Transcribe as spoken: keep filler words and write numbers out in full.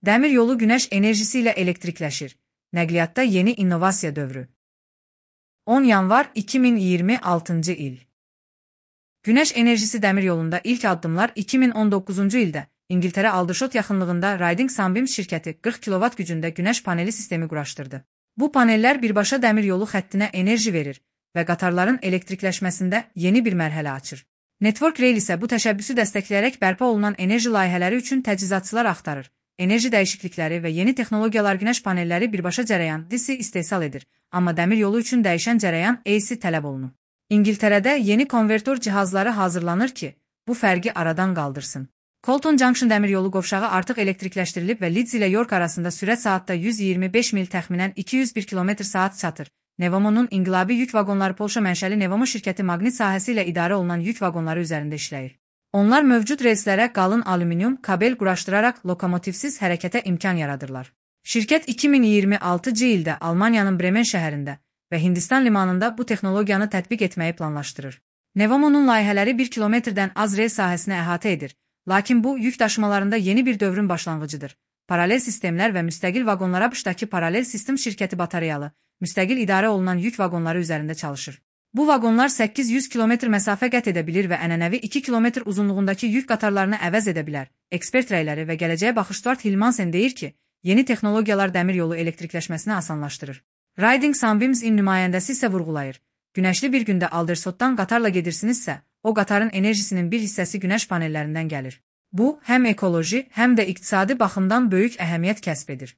Dəmir yolu günəş enerjisi ilə elektrikləşir. Nəqliyyatda yeni innovasiya dövrü. on yanvar iki min iyirmi altıncı il. Günəş enerjisi dəmir yolunda ilk addımlar iki min on doqquzuncu ildə İngiltərə Aldershot yaxınlığında Riding Sunbeams şirkəti qırx kilovat gücündə günəş paneli sistemi quraşdırdı. Bu panellər birbaşa dəmir yolu xəttinə enerji verir və qatarların elektrikləşməsində yeni bir mərhələ açır. Network Rail isə bu təşəbbüsü dəstəkləyərək bərpa olunan enerji layihələri üçün təchizatçılar axtarır. Enerji dəyişiklikləri və yeni texnologiyalar günəş panelləri birbaşa cərəyan D C istehsal edir, amma dəmir yolu üçün dəyişən cərəyan A C tələb olunur. İngiltərədə yeni konvertor cihazları hazırlanır ki, bu fərqi aradan qaldırsın. Colton Junction dəmir yolu qovşağı artıq elektrikləşdirilib və Leeds ilə York arasında sürət saatda yüz iyirmi beş mil təxminən iki yüz bir kilometr saat çatır. Nevomo'nun inqilabi yük vaqonları Polşa mənşəli Nevomo şirkəti maqnit sahəsi ilə idarə olunan yük vaqonları üzərində işləyir. Onlar mövcud relslərə qalın alüminium kabel quraşdıraraq lokomotivsiz hərəkətə imkan yaradırlar. Şirkət iki min iyirmi altıncı ildə Almaniyanın Bremen şəhərində və Hindistan limanında bu texnologiyanı tətbiq etməyi planlaşdırır. Nevomo'nun layihələri bir kilometrdən az rel sahəsini əhatə edir, lakin bu yük daşımalarında yeni bir dövrün başlanğıcıdır. Paralel sistemlər və müstəqil vaqonlara B Ş-dakı Paralel Sistem şirkəti batareyalı, müstəqil idarə olunan yük vaqonları üzərində çalışır. Bu vaqonlar səkkiz yüz kilometr məsafə qət edə bilir və ənənəvi iki kilometr uzunluğundakı yük qatarlarını əvəz edə bilər. Ekspert rəyləri və gələcəyə baxış Stuart Hilmansen deyir ki, yeni texnologiyalar dəmir yolu elektrikləşməsini asanlaşdırır. Riding Sunbeams-in nümayəndəsi isə vurğulayır. Günəşli bir gündə Aldershotdan qatarla gedirsinizsə, o qatarın enerjisinin bir hissəsi günəş panellərindən gəlir. Bu, həm ekoloji, həm də iqtisadi baxımdan böyük əhəmiyyət kəsb edir.